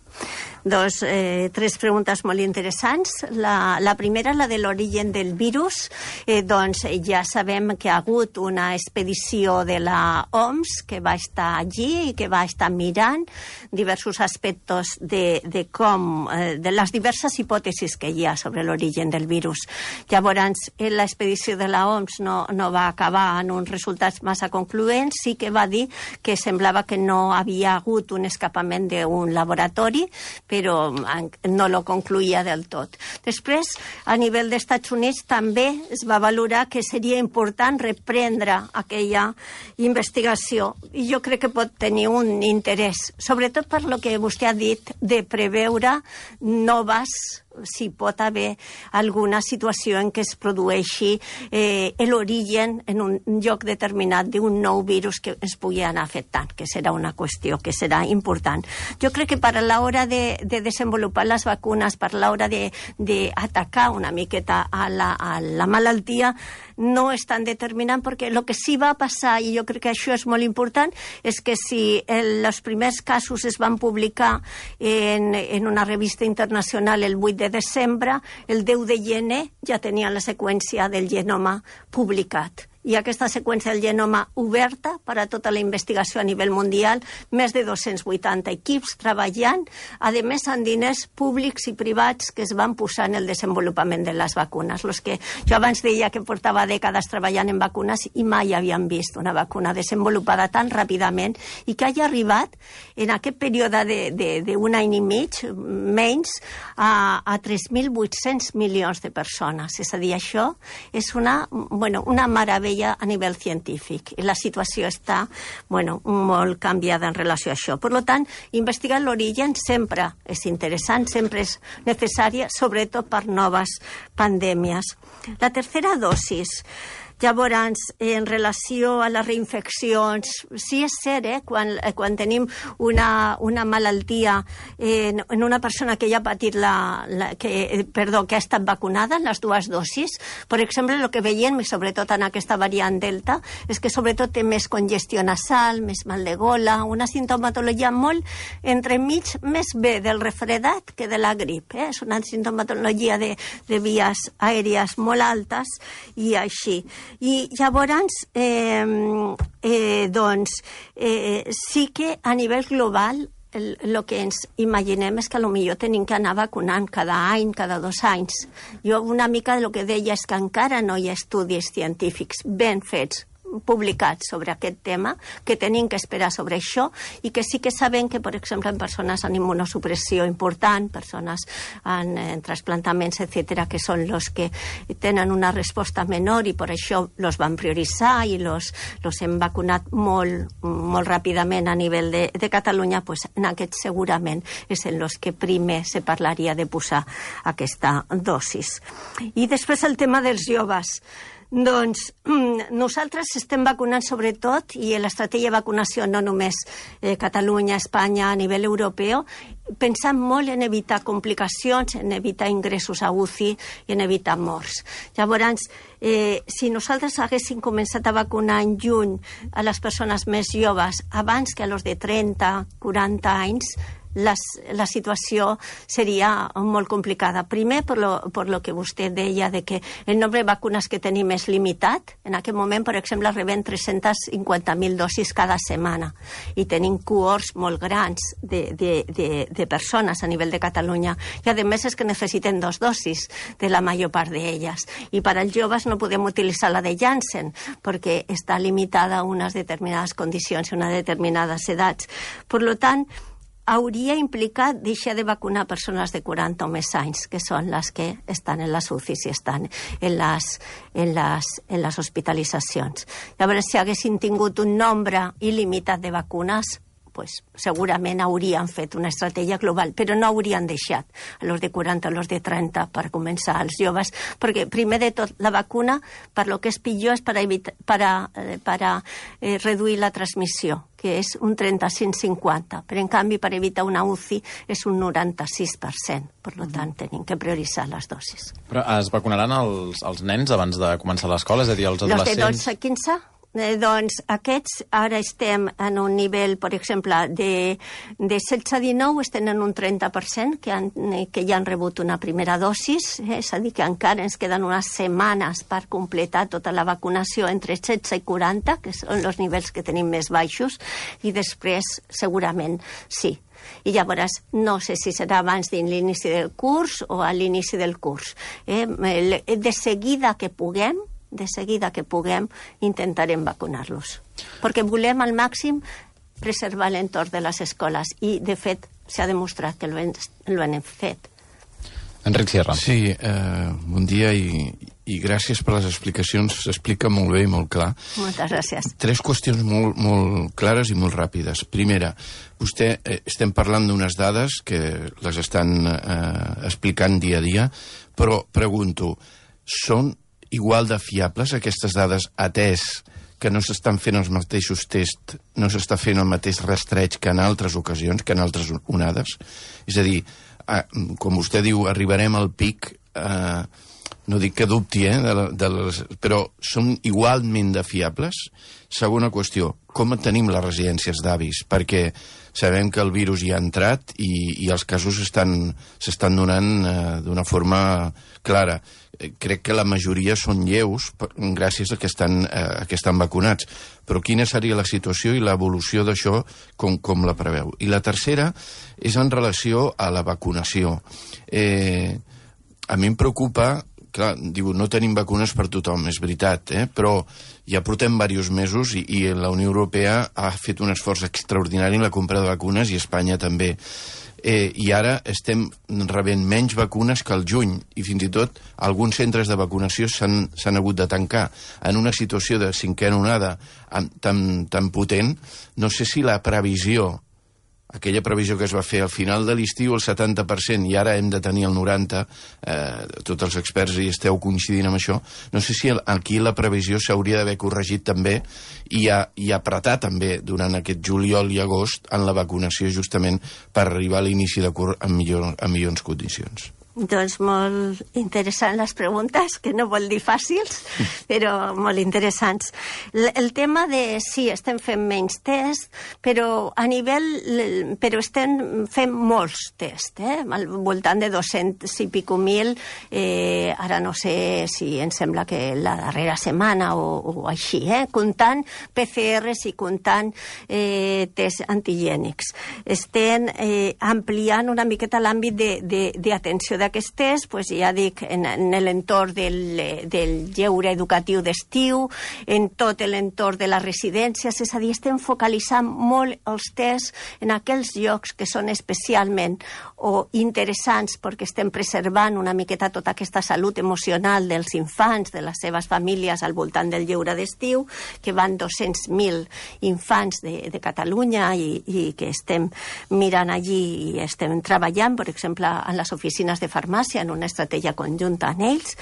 3 preguntes molt interessants. La primera, la de l'origen del virus. Ja sabem que ha hagut una expedició de la OMS que va estar allí i que va estar mirant diversos aspectes de les diverses hipòtesis que hi ha sobre l'origen del virus. Llavors, l'expedició de la OMS no va acabar en uns resultats massa concloents sí que va dir que semblava que no havia hagut un escapament d'un laboratori, però no lo concluïa del tot. Després, a nivell dels Estats Units, també es va valorar que seria important reprendre aquella investigació. I jo crec que pot tenir un interès, sobretot per lo que vostè ha dit, de preveure noves, si pot haver alguna situació en què es produeixi l'origen en un lloc determinat d'un nou virus que ens pugui anar afectant, que serà una qüestió que serà important. Jo crec que per a l'hora de desenvolupar les vacunes, per a l'hora d'atacar una miqueta a la malaltia, no és tan determinant, perquè el que sí va passar, i jo crec que això és molt important, és que si els primers casos es van publicar en una revista internacional el 8 de desembre, el 10 de gener ja tenia la seqüència del genoma publicat. I aquesta seqüència del genoma oberta per a tota la investigació a nivell mundial, més de 280 equips treballant, a més amb diners públics i privats que es van posar en el desenvolupament de les vacunes. Los que jo abans deia que portava dècades treballant en vacunes i mai havien vist una vacuna desenvolupada tan ràpidament i que hagi arribat en aquest període d'un any i mig, menys, a 3.800 milions de persones. És a dir, això és una meravella a nivell científic. I la situació està molt canviada en relació a això. Per tant, investigar l'origen sempre és interessant, sempre és necessària, sobretot per noves pandèmies. La tercera dosis. Llavors, en relació a les reinfeccions, sí és cert, quan tenim una malaltia en una persona que ja ha patit que ha estat vacunada en les dues dosis, per exemple, el que veiem, sobretot en aquesta variant Delta, és que sobretot té més congestió nasal, més mal de gola, una sintomatologia molt entremig més bé del refredat que de la grip. És una sintomatologia de vies aèries molt altes i així. I llavors, sí que a nivell global el que ens imaginem és que potser tenim que anar vacunant cada any, cada 2 anys. Jo una mica el que deia és que encara no hi ha estudis científics ben fets publicats sobre aquest tema, que tenim que esperar sobre això, i que sí que sabem que, per exemple, en persones amb immunosupressió important, persones en trasplantaments, etc., que són els que tenen una resposta menor i per això els van prioritzar i els hem vacunat molt ràpidament a nivell de Catalunya, pues, en aquests segurament és en els que primer se parlaria de posar aquesta dosis. I després el tema dels joves. Doncs nosaltres estem vacunant sobretot, i l'estratègia de vacunació no només Catalunya, Espanya, a nivell europeu, pensant molt en evitar complicacions, en evitar ingressos a UCI i en evitar morts. Llavors, si nosaltres haguéssim començat a vacunar en juny a les persones més joves abans que a los de 30, 40 anys, la situació seria molt complicada. Primer, per lo que vostè deia, de que el nombre de vacunes que tenim és limitat. En aquest moment, per exemple, rebem 350.000 dosis cada setmana i tenim cohorts molt grans de persones a nivell de Catalunya. I, a més, és que necessiten 2 dosis de la major part d'elles. I per als joves no podem utilitzar la de Janssen perquè està limitada a unes determinades condicions i unes determinades edats. Per tant, hauria implicat deixar de vacunar persones de 40 o més anys, que són les que estan en les UCIs i estan en les hospitalitzacions. Llavors, si haguessin tingut un nombre il·limitat de vacunes, pues, segurament haurien fet una estratègia global, però no haurien deixat a los de 40, a los de 30 per començar als joves, perquè primer de tot la vacuna, per lo que és pitjor, és per reduir la transmissió, que és un 35-50, però en canvi per evitar una UCI és un 96%, per tant tenim que prioritzar les dosis. Però es vacunaran els nens abans de començar l'escola, és a dir, els adolescents? Los de 12 a 15? Doncs aquests ara estem en un nivell, per exemple, de 16 a 19 estem en un 30% que ja han rebut una primera dosis, és a dir, que encara ens queden unes setmanes per completar tota la vacunació entre 16 i 40, que són els nivells que tenim més baixos, i després segurament sí. I llavors no sé si serà abans de l'inici del curs o a l'inici del curs. De seguida que puguem, de seguida que puguem, intentarem vacunar-los. Perquè volem al màxim preservar l'entorn de les escoles i, de fet, s'ha demostrat que ho hem fet. Enric Sierra. Sí, bon dia i gràcies per les explicacions. S'explica molt bé i molt clar. Moltes gràcies. 3 qüestions molt clares i molt ràpides. Primera, vostè, estem parlant d'unes dades que les estan explicant dia a dia, però pregunto, són igual de fiables aquestes dades atès que no s'estan fent els mateixos tests, no s'està fent el mateix rastreig que en altres ocasions, que en altres onades? És a dir, com vostè diu, arribarem al pic, no dic que dubti, però són igualment de fiables? Segona qüestió, com tenim les residències d'avis? Perquè sabem que el virus hi ha entrat i els casos s'estan donant d'una forma clara. Crec que la majoria són lleus gràcies a que estan vacunats. Però quina seria la situació i l'evolució d'això, com la preveu? I la tercera és en relació a la vacunació. A mi em preocupa, clar, diu, no tenim vacunes per tothom, és veritat, però ja portem diversos mesos i la Unió Europea ha fet un esforç extraordinari en la compra de vacunes i Espanya també. I ara estem rebent menys vacunes que al juny i fins i tot alguns centres de vacunació s'han hagut de tancar. En una situació de cinquena onada tan potent, no sé si la previsió, aquella previsió que es va fer al final de l'estiu, el 70%, i ara hem de tenir el 90%, tots els experts hi esteu coincidint amb això, no sé si aquí la previsió s'hauria d'haver corregit també i apretar també durant aquest juliol i agost en la vacunació justament per arribar a l'inici de curs en millors condicions. Doncs molt interessants les preguntes, que no vol dir fàcils, però molt interessants. El tema de sí, estem fent menys tests, però estem fent molts tests, al voltant de 200 i pico mil, ara no sé si em sembla que la darrera setmana o així, comptant PCRs i comptant tests antigènics. Estem ampliant una miqueta l'àmbit d'atenció d'aquests tests, pues ja dic, en l'entorn del lleure educatiu d'estiu, en tot l'entorn de les residències, és a dir, estem focalitzant molt els tests en aquells llocs que són especialment o interessants perquè estem preservant una miqueta tota aquesta salut emocional dels infants, de les seves famílies al voltant del lleure d'estiu, que van 200.000 infants de Catalunya i que estem mirant allí i estem treballant, per exemple, en les oficines de farmàcia, en una estratègia conjunta amb ells,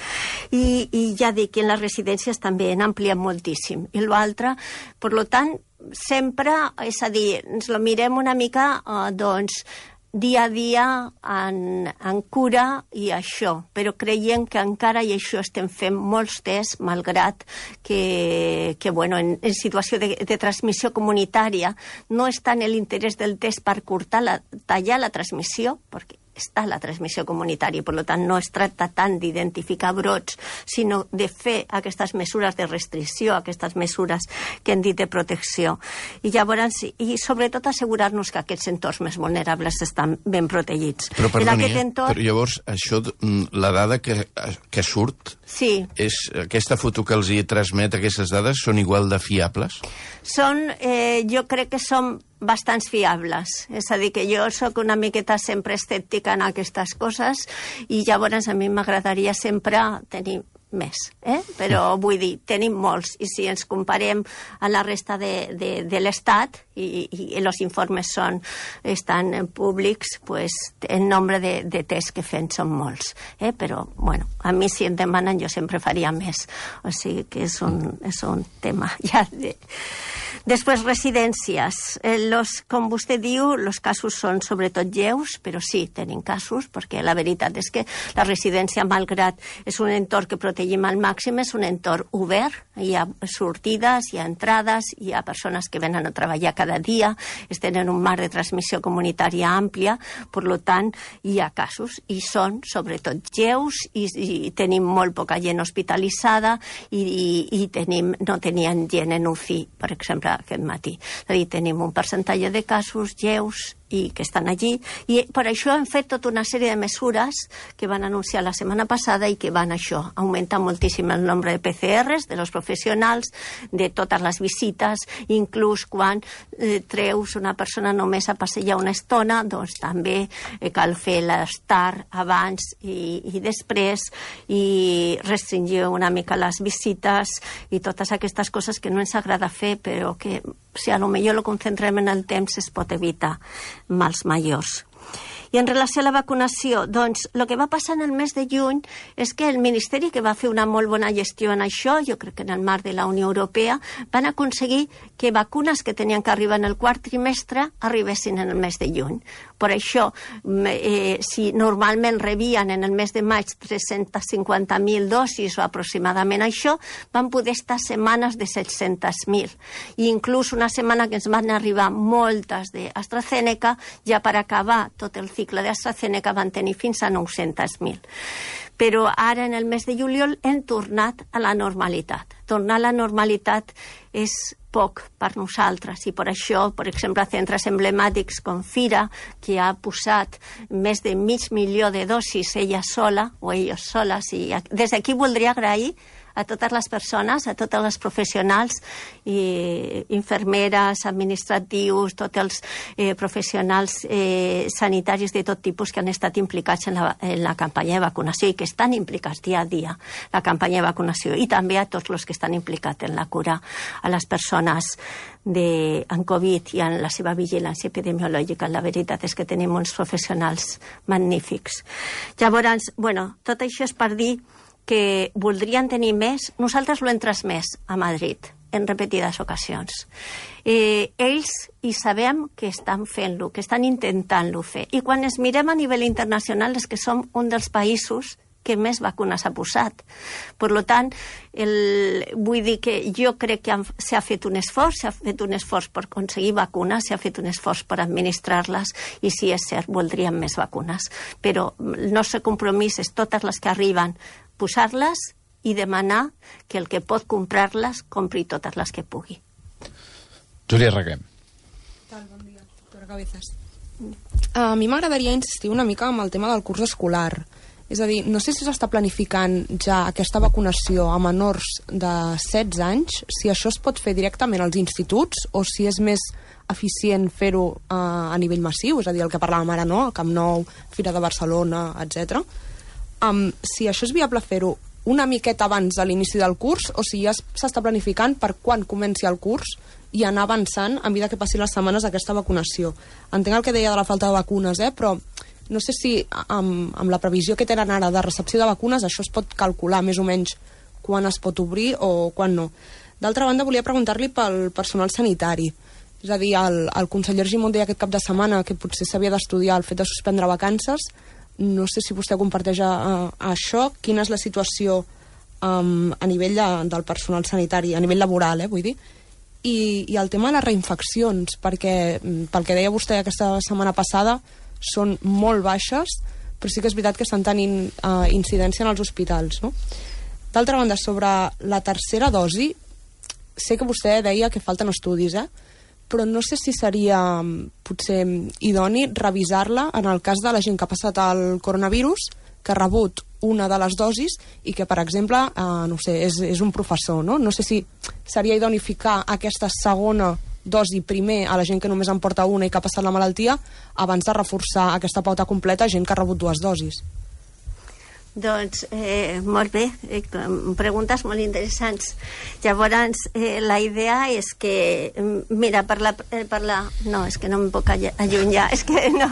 i ja dic que en les residències també han ampliat moltíssim. I l'altre, per tant, sempre, és a dir, ens lo mirem una mica, doncs, dia a dia en cura i això, però creiem que encara i això estem fent molts tests, malgrat que bueno, en situació de transmissió comunitària no és tant l'interès del test per tallar la transmissió, perquè està la transmissió comunitària, per tant no es tracta tant d'identificar brots, sinó de fer aquestes mesures de restricció, aquestes mesures que hem dit de protecció. I llavors, i sobretot assegurar-nos que aquests entorns més vulnerables estan ben protegits. Però perdoni, però llavors això, la dada que surt, sí, és aquesta foto que els hi transmet, aquestes dades, són igual de fiables? Jo crec que són bastants fiables. És a dir, que jo sóc una miqueta sempre escèptica en aquestes coses i llavors a mi m'agradaria sempre tenir més, però vull dir, tenim molts, i si ens comparem a la resta de l'Estat i els informes estan públics, pues el nombre de tests que fem són molts, però bueno, a mi si em demanen jo sempre faria més, o sigui que és un tema ja de... Després, residències. Com vostè diu, els casos són sobretot lleus, però sí, tenim casos, perquè la veritat és que la residència, malgrat és un entorn que protegim al màxim, és un entorn obert, hi ha sortides, hi ha entrades, hi ha persones que venen a treballar cada dia, estan en un marc de transmissió comunitària àmplia, per tant, hi ha casos, i són sobretot lleus, i tenim molt poca gent hospitalitzada, i no tenien gent en UCI, per exemple, aquest matí. És a dir, tenim un percentatge de casos lleus i que estan allí, i per això hem fet tota una sèrie de mesures que van anunciar la setmana passada i que van augmentar moltíssim el nombre de PCRs, de los professionals, de totes les visites, inclús quan treus una persona només a passejar una estona, doncs també cal fer l'estar abans i després, i restringir una mica les visites i totes aquestes coses que no ens agrada fer, però que si a lo millor lo concentrem en el temps es pot evitar mals majors. I en relació a la vacunació, doncs, el que va passar en el mes de juny és que el Ministeri, que va fer una molt bona gestió en això, jo crec que en el marc de la Unió Europea, van aconseguir que vacunes que tenien que arribar en el quart trimestre arribessin en el mes de juny. Per això, si normalment rebien en el mes de maig 350.000 dosis o aproximadament això, van poder estar setmanes de 700.000. I inclús una setmana que ens van arribar moltes d'AstraZeneca, ja per acabar tot el cicle d'AstraZeneca van tenir fins a 900.000. Però ara, en el mes de juliol, hem tornat a la normalitat. Tornar a la normalitat és poc per nosaltres i per això, per exemple, centres emblemàtics com Fira, que ha posat més de 500.000 de dosis ella sola o ells soles, i des d'aquí voldria agrair a totes les persones, a tots els professionals, i infermeres, administratius, tots els professionals sanitaris de tot tipus que han estat implicats en la campanya de vacunació i que estan implicats dia a dia en la campanya de vacunació, i també a tots els que estan implicats en la cura a les persones en Covid i en la seva vigilància epidemiològica. La veritat és que tenim uns professionals magnífics. Llavors, tot això és per dir que voldrien tenir més. Nosaltres ho hem transmès a Madrid en repetides ocasions. Ells hi sabem que estan fent-lo, que estan intentant-lo fer. I quan ens mirem a nivell internacional és que som un dels països que més vacunes ha posat. Per tant, vull dir que jo crec que s'ha fet un esforç per aconseguir vacunes, s'ha fet un esforç per administrar-les, i sí, és cert, voldríem més vacunes. Però el nostre compromís és totes les que arriben posar-les i demanar que el que pot comprar-les compri totes les que pugui. Júlia Reguem. Bon dia, doctora Cabezas. A mi m'agradaria insistir una mica amb el tema del curs escolar. És a dir, no sé si s'està planificant ja aquesta vacunació a menors de 16 anys, si això es pot fer directament als instituts o si és més eficient fer-ho a nivell massiu, és a dir, el que parlàvem ara, no? El Camp Nou, Fira de Barcelona, etc. Si això és viable fer-ho una miqueta abans de l'inici del curs o si ja s'està planificant per quan comenci el curs i anar avançant a mesura que passin les setmanes d'aquesta vacunació. Entenc el que deia de la falta de vacunes, però no sé si amb la previsió que tenen ara de recepció de vacunes això es pot calcular més o menys quan es pot obrir o quan no. D'altra banda, volia preguntar-li pel personal sanitari. És a dir, el conseller Argimon deia aquest cap de setmana que potser s'havia d'estudiar el fet de suspendre vacances. No sé si vostè comparteix això. Quina és la situació a nivell del personal sanitari, a nivell laboral, vull dir? I el tema de les reinfeccions, perquè pel que deia vostè aquesta setmana passada són molt baixes, però sí que és veritat que estan tenint incidència en els hospitals, no? D'altra banda, sobre la tercera dosi, sé que vostè deia que falten estudis, però no sé si seria potser idoni revisar-la en el cas de la gent que ha passat el coronavirus, que ha rebut una de les dosis i que, per exemple, no sé, és un professor, no? No sé si seria idoni ficar aquesta segona dosi primer a la gent que només en porta una i que ha passat la malaltia abans de reforçar aquesta pauta completa a gent que ha rebut 2 dosis. Doncs, molt bé, preguntes molt interessants. Llavors, la idea és que, mira, no, és que no em puc allunyar, és que no,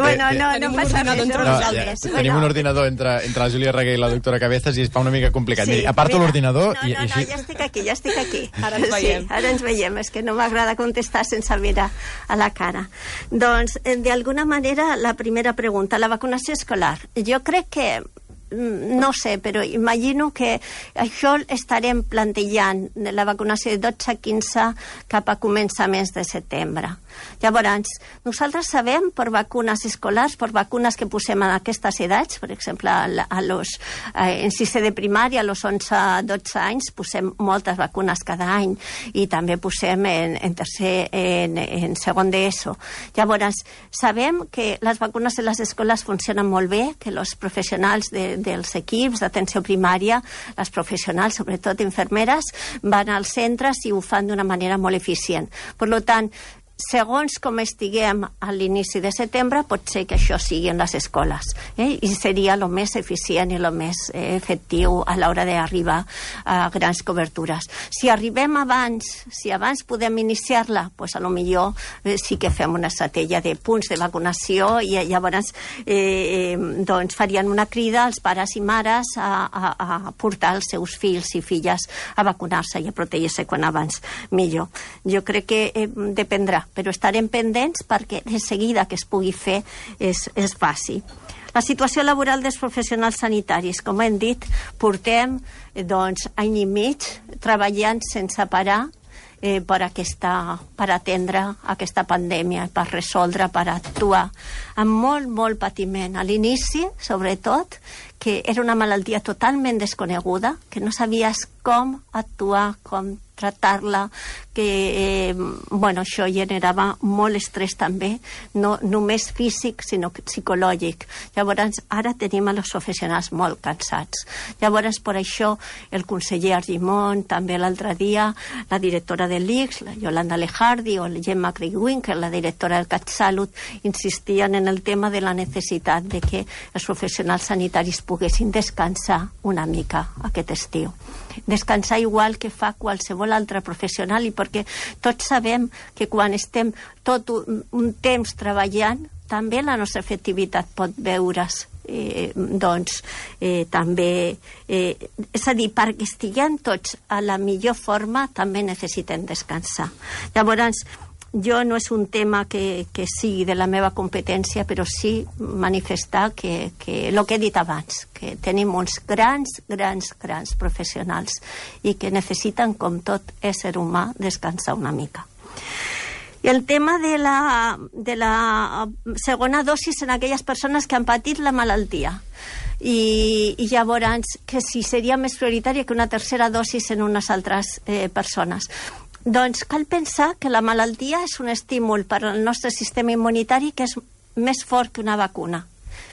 bueno, no passa res. Tenim un ordinador entre la Júlia Reguer i la doctora Cabezas i es fa una mica complicat. Sí, aparto l'ordinador i així... No, ja estic aquí. Ara ens veiem. Ara ens veiem, és que no m'agrada contestar sense mirar a la cara. Doncs, d'alguna manera, la primera pregunta, la vacunació escolar. Jo crec que no sé, però imagino que això estarem plantejant de la vacunació de 12 a 15 cap a començaments de setembre. Llavors, nosaltres sabem per vacunes escolars, per vacunes que posem en aquestes edats, per exemple, en 6è de primària, a los 11-12 anys, posem moltes vacunes cada any i també posem en segon d'ESO. Llavors, sabem que les vacunes de les escoles funcionen molt bé, que els professionals dels equips d'atenció primària, les professionals, sobretot infermeres, van als centres i ho fan d'una manera molt eficient. Per tant, segons com estiguem a l'inici de setembre, pot ser que això sigui en les escoles, i seria el més eficient i el més efectiu a l'hora d'arribar a grans cobertures. Si arribem abans, si abans podem iniciar-la, doncs a lo millor sí que fem una estratègia de punts de vacunació i llavors doncs farien una crida als pares i mares a portar els seus fills i filles a vacunar-se i a protegir-se quan abans millor. Jo crec que dependrà, però estarem pendents perquè de seguida que es pugui fer es faci. La situació laboral dels professionals sanitaris, com hem dit, portem any i mig treballant sense parar per atendre aquesta pandèmia, per resoldre, per actuar amb molt patiment. A l'inici, sobretot, que era una malaltia totalment desconeguda, que no sabies com actuar, com tractar-la, que això generava molt estrès també, no només físic, sinó psicològic. Llavors, ara tenim els professionals molt cansats. Llavors, per això, el conseller Argimon, també l'altre dia, la directora de l'ICS, la Yolanda Lejardi, o la Gemma Craig-Winkel, la directora del CatSalut, insistien en el tema de la necessitat de que els professionals sanitaris poguessin descansar una mica aquest estiu. Descansar igual que fa qualsevol altre professional, i perquè tots sabem que quan estem tot un temps treballant, també la nostra efectivitat pot veure's també, és a dir, perquè estiguem tots a la millor forma també necessitem descansar. Llavors, jo no és un tema que sigui de la meva competència, però sí manifestar que el que he dit abans, que tenim uns grans professionals i que necessiten, com tot ésser humà, descansar una mica. I el tema de la segona dosis en aquelles persones que han patit la malaltia. I llavors, que si seria més prioritària que una tercera dosis en unes altres persones. Doncs cal pensar que la malaltia és un estímul per al nostre sistema immunitari que és més fort que una vacuna.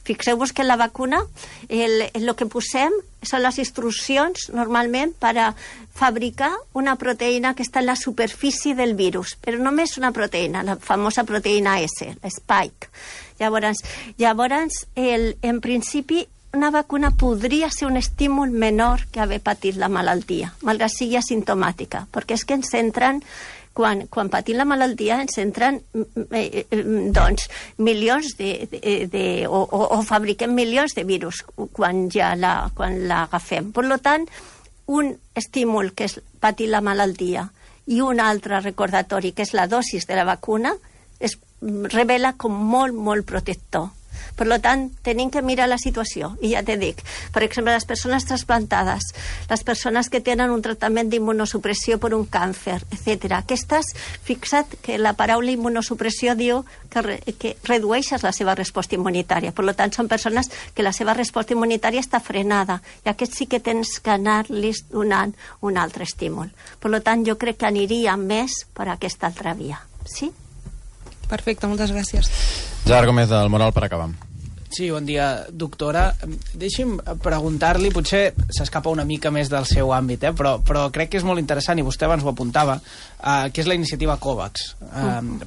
Fixeu-vos que la vacuna, el que posem són les instruccions normalment per a fabricar una proteïna que està en la superfície del virus, però només una proteïna, la famosa proteïna S, l'Spike. Llavors, en principi, una vacuna podria ser un estímul menor que haver patit la malaltia, malgrat sigui asimptomàtica, perquè és que ens entren, quan patim la malaltia, ens entren milions o fabriquem milions de virus quan l'agafem. Per tant, un estímul que és patir la malaltia i un altre recordatori, que és la dosis de la vacuna, es revela com molt protector. Per tant, tenim que mirar la situació. I ja te dic, per exemple, les persones trasplantades, les persones que tenen un tractament d'immunosupressió per un càncer, etc. Aquestes, fixa't que la paraula immunosupressió diu que redueixes la seva resposta immunitària. Per tant, són persones que la seva resposta immunitària està frenada i aquests sí que tens que anar-los donant un altre estímul. Per tant, jo crec que aniria més per aquesta altra via. Sí? Perfecte, moltes gràcies. Gerard Gómez del Moral, per acabar. Sí, bon dia, doctora. Deixi'm preguntar-li, potser s'escapa una mica més del seu àmbit, però crec que és molt interessant, i vostè abans ho apuntava, que és la iniciativa COVAX.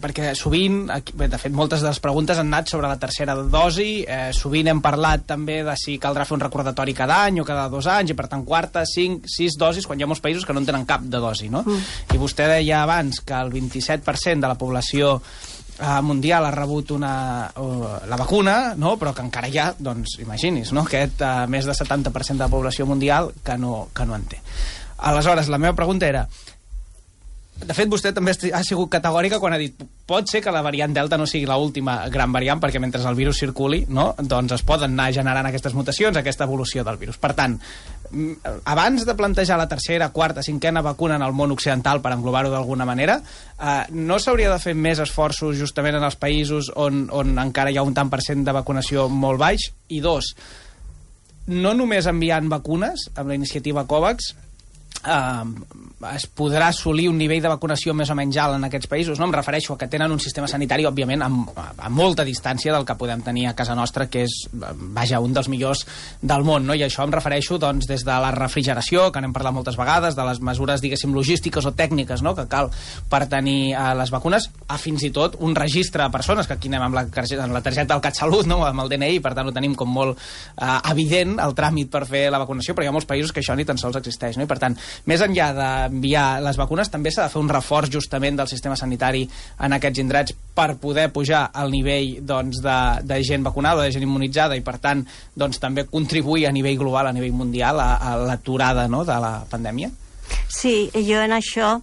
Perquè sovint, de fet, moltes de les preguntes han anat sobre la tercera dosi, sovint hem parlat també de si caldrà fer un recordatori cada any o cada 2 anys, i per tant 4, 5, 6 dosis, quan hi ha molts països que no en tenen cap de dosi, no? I vostè deia abans que el 27% de la població mundial ha rebut la vacuna, no? Però que encara hi ha, doncs, imagini's, no? Aquest més de 70% de la població mundial que no en té. Aleshores, la meva pregunta era, De fet, vostè també ha sigut categòrica quan ha dit pot ser que la variant Delta no sigui l'última gran variant, perquè mentre el virus circuli, no, doncs es poden anar generant aquestes mutacions, aquesta evolució del virus. Per tant, abans de plantejar la tercera, quarta, cinquena vacuna en el món occidental, per englobar-ho d'alguna manera, no s'hauria de fer més esforços justament en els països on encara hi ha un tant per cent de vacunació molt baix? I dos, no només enviant vacunes amb la iniciativa COVAX es podrà assolir un nivell de vacunació més o menys alt en aquests països, no? Em refereixo a que tenen un sistema sanitari, òbviament, a molta distància del que podem tenir a casa nostra, que és, vaja, un dels millors del món, no? I això em refereixo, doncs, des de la refrigeració, que n'hem parlat moltes vegades, de les mesures, diguéssim, logístiques o tècniques, no?, que cal per tenir les vacunes, a fins i tot un registre de persones, que aquí anem amb la targeta del CatSalut, no?, amb el DNI, per tant ho tenim com molt evident, el tràmit per fer la vacunació, però hi ha molts països que això ni tan sols existeix, no? I per tant, més enllà d'enviar les vacunes, també s'ha de fer un reforç justament del sistema sanitari en aquests indrets per poder pujar al nivell, doncs, de gent vacunada, de gent immunitzada, i per tant doncs, també contribuir a nivell global, a nivell mundial, a l'aturada, no?, de la pandèmia? Sí, jo en això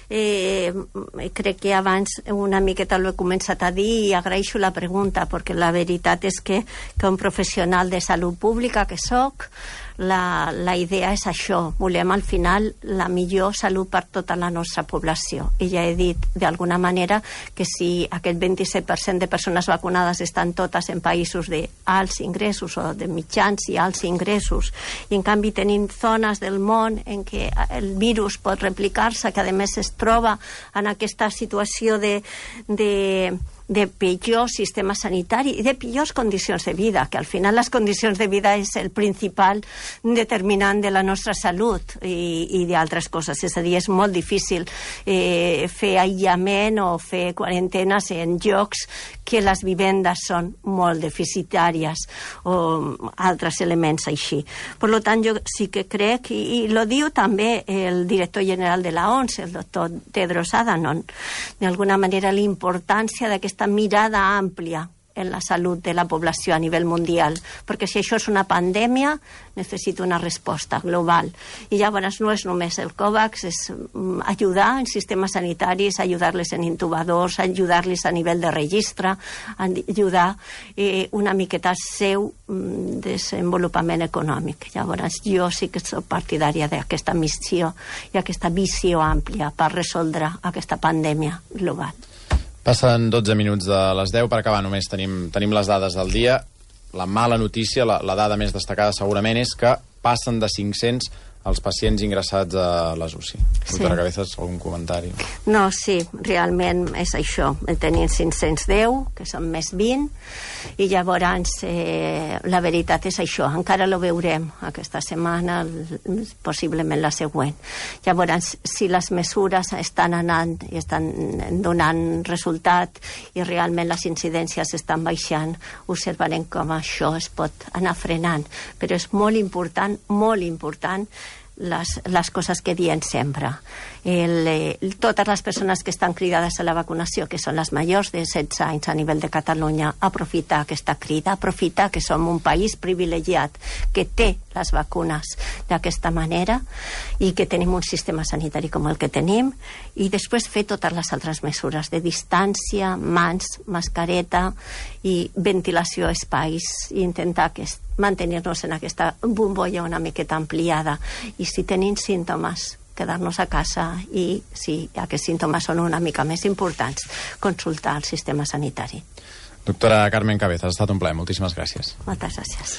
crec que abans una miqueta l'he començat a dir i agraeixo la pregunta, perquè la veritat és que un professional de salut pública que soc, la idea és això, volem al final la millor salut per tota la nostra població, i ja he dit d'alguna manera que si aquest 27% de persones vacunades estan totes en països d'alts ingressos o de mitjans i alts ingressos, i en canvi tenim zones del món en què el virus pot replicar-se, que a més es troba en aquesta situació de pitjor sistema sanitari i de pitjors condicions de vida, que al final les condicions de vida és el principal determinant de la nostra salut i d'altres coses. És a dir, és molt difícil fer aïllament o fer quarantenes en llocs que les vivendes són molt deficitàries o altres elements així. Per tant, jo sí que crec, i lo diu també el director general de la OMS, el doctor Tedros Adhanom, d'alguna manera la importància d'aquesta mirada àmplia en la salut de la població a nivell mundial, perquè si això és una pandèmia necessita una resposta global, i llavors no és només el COVAX, és ajudar en sistemes sanitaris, ajudar-les en intubadors, ajudar-les a nivell de registre, ajudar una miqueta al seu desenvolupament econòmic. Llavors jo sí que soc partidària d'aquesta missió i aquesta visió àmplia per resoldre aquesta pandèmia global. Passen 12 minuts de les 10, per acabar només tenim les dades del dia. La mala notícia, la dada més destacada segurament és que passen de 500 els pacients ingressats a les UCI. Doctora Cabezas, algun comentari? No, sí, realment és això. Tenim 510, que són més 20, i llavors la veritat és això. Encara lo veurem aquesta setmana, possiblement la següent. Llavors, si les mesures estan anant i estan donant resultat i realment les incidències estan baixant, observarem com això es pot anar frenant. Però és molt important les coses que diem sempre. Totes les persones que estan cridades a la vacunació, que són les majors de 16 anys a nivell de Catalunya, aprofitar aquesta crida, aprofitar que som un país privilegiat que té les vacunes d'aquesta manera i que tenim un sistema sanitari com el que tenim, i després fer totes les altres mesures de distància, mans, mascareta i ventilació a espais, i intentar mantenir-nos en aquesta bombolla una miqueta ampliada, i si tenim símptomes quedar-nos a casa, i si aquests símptomes són una mica més importants, consultar el sistema sanitari. Doctora Carmen Cabezas, ha estat un plaer. Moltíssimes gràcies. Moltes gràcies.